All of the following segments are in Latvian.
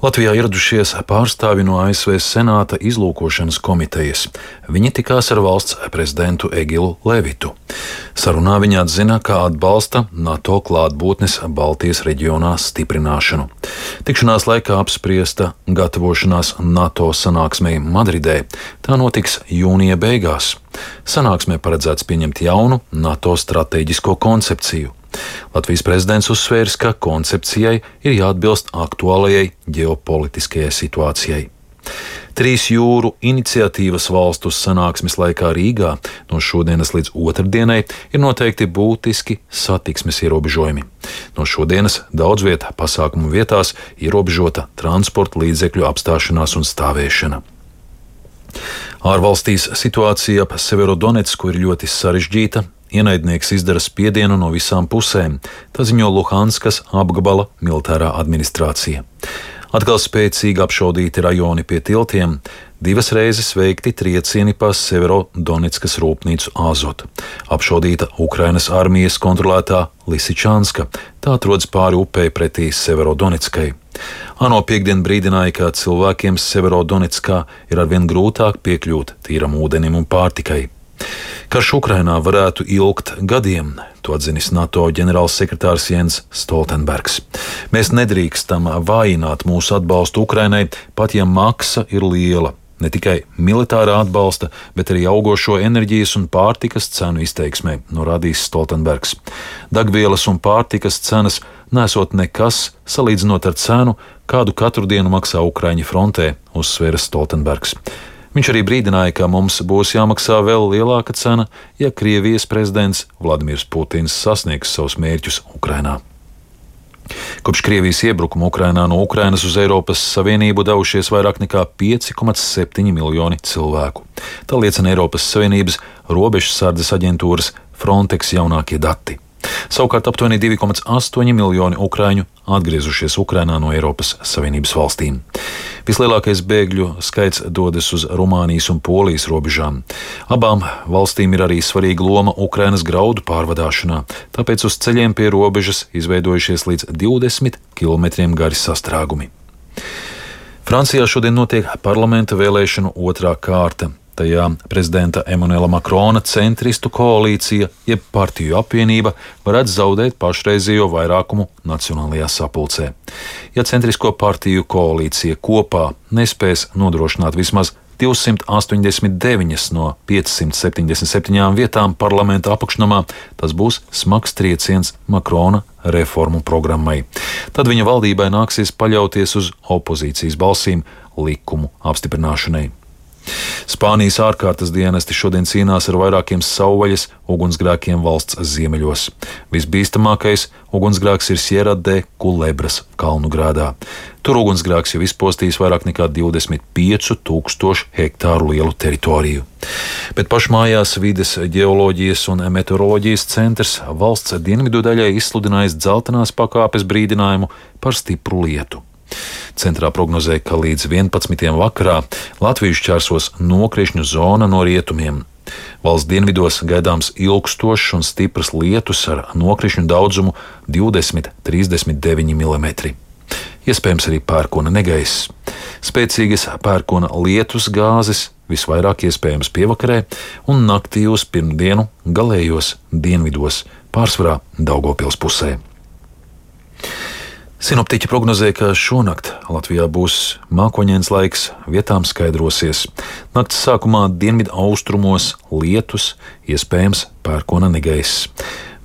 Latvijā ieradušies pārstāvji no ASV Senāta izlūkošanas komitejas. Viņi tikās ar valsts prezidentu Egilu Levitu. Sarunā viņi atzina, ka atbalsta NATO klātbūtnes Baltijas reģionā stiprināšanu. Tikšanās laikā apspriesta gatavošanās NATO sanāksmei Madridē. Tā notiks jūnija beigās. Sanāksmē paredzēts pieņemt jaunu NATO stratēģisko koncepciju. Latvijas prezidents uzsvērs, ka koncepcijai ir jāatbilst aktuālajai ģeopolitiskajai situācijai. 3 jūru iniciatīvas valstu sanāksmes laikā Rīgā no šodienas līdz otrdienai ir noteikti būtiski satiksmes ierobežojumi. No šodienas daudzviet pasākumu vietās ierobežota transporta līdzekļu apstāšanās un stāvēšana. Ārvalstīs situācija ap Severodonetsku ir ļoti sarežģīta. Ienaidnieks izdara spiedienu no visām pusēm, tā ziņo Luhanskas apgabala militārā administrācija. Atkal spēcīgi apšaudīti rajoni pie tiltiem, 2 reizes veikti triecieni pa Severodonetskas rūpnīcu Azot. Apšaudīta Ukrainas armijas kontrolētā Lisičanska, tā atrodas pāri upei pretī Severodonetskai. ANO piekdien brīdināja, ka cilvēkiem Severodonetskā ir arvien grūtāk piekļūt tīram ūdenim un pārtikai. Karš Ukrainā varētu ilgt gadiem, to atzinis NATO ģenerālsekretārs Jens Stoltenbergs. Mēs nedrīkstam vājināt mūsu atbalstu Ukrainai, pat ja maksa ir liela. Ne tikai militārā atbalsta, bet arī augošo enerģijas un pārtikas cenu izteiksmē, norādījis Stoltenbergs. Degvielas un pārtikas cenas nesot nekas salīdzinot ar cenu, kādu katru dienu maksā Ukraiņi frontē, uzsvēra Stoltenbergs. Viņš arī brīdināja, ka mums būs jāmaksā vēl lielāka cena, ja Krievijas prezidents Vladimirs Putins sasniegs savus mērķus Ukrainā. Kopš Krievijas iebrukuma Ukrainā no Ukrainas uz Eiropas Savienību devušies vairāk nekā 5,7 miljoni cilvēku. Tā liecina Eiropas Savienības robežsardzes aģentūras Frontex jaunākie dati. Savukārt aptuveni 2,8 miljoni ukraiņu atgriezušies Ukrainā no Eiropas Savienības valstīm. Vislielākais bēgļu skaits dodas uz Rumānijas un Polijas robežām. Abām valstīm ir arī svarīga loma Ukrainas graudu pārvadāšanā, tāpēc uz ceļiem pie robežas izveidojušies līdz 20 km gari sastrēgumi. Francijā šodien notiek parlamenta vēlēšanu otrā kārta. Tajā prezidenta Emanuela Makrona centristu koalīcija, jeb partiju apvienība, varētu zaudēt pašreizējo vairākumu Nacionālajā sapulcē. Ja centrisko partiju koalīcija kopā nespēs nodrošināt vismaz 289 no 577 vietām parlamenta apakšnamā, tas būs smags trieciens Makrona reformu programmai. Tad viņa valdībai nāksies paļauties uz opozīcijas balsīm likumu apstiprināšanai. Spānijas ārkārtas dienesti šodien cīnās ar vairākiem savvaļas ugunsgrēkiem valsts ziemeļos. Visbīstamākais ugunsgrēks ir Sierra de Culebras kalnugrādā. Tur ugunsgrēks jau izpostījis vairāk nekā 25,000 hektāru lielu teritoriju. Bet pašmājās vides ģeoloģijas un meteoroloģijas centrs valsts dienvidu daļai izsludinājis dzeltenās pakāpes brīdinājumu par stipru lietu. Centrā prognozē, ka līdz 11. vakarā Latviju šķērsos nokrišņu zona no rietumiem. Valsts dienvidos gaidāms ilgstošs un stiprs lietus ar nokrišņu daudzumu 20–39 mm. Iespējams arī pērkona negaiss. Spēcīgas pērkona lietus gāzes visvairāk iespējams pievakarē un naktī uz pirmdienu galējos dienvidos, pārsvarā Daugavpils pusē. Sinoptiķi prognozē, ka šonakt Latvijā būs mākoņains laiks, vietām skaidrosies. Nakts sākumā dienvidu austrumos lietus, iespējams pērkona negaiss.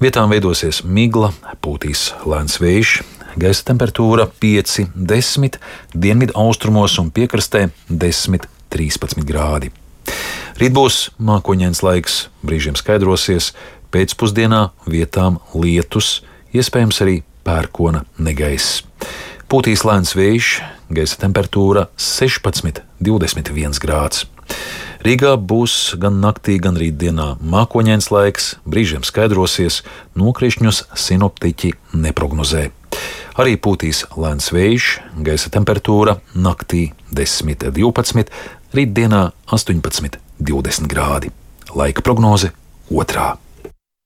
Vietām veidosies migla, pūtīs lēns vējš, gaisa temperatūra 5–10, dienvidu austrumos un piekrastē 10–13 grādi. Rīt būs mākoņains laiks, brīžiem skaidrosies, pēcpusdienā vietām lietus, iespējams arī pērkona negaiss. Pūtīs lēns vējš, gaisa temperatūra 16–21 grāds. Rīgā būs gan naktī, gan rītdienā mākoņains laiks, brīžiem skaidrosies, nokrišņus sinoptiķi neprognozē. Arī pūtīs lēns vējš, gaisa temperatūra naktī 10–12, rītdienā 18–20 grādi. Laika prognoze 2.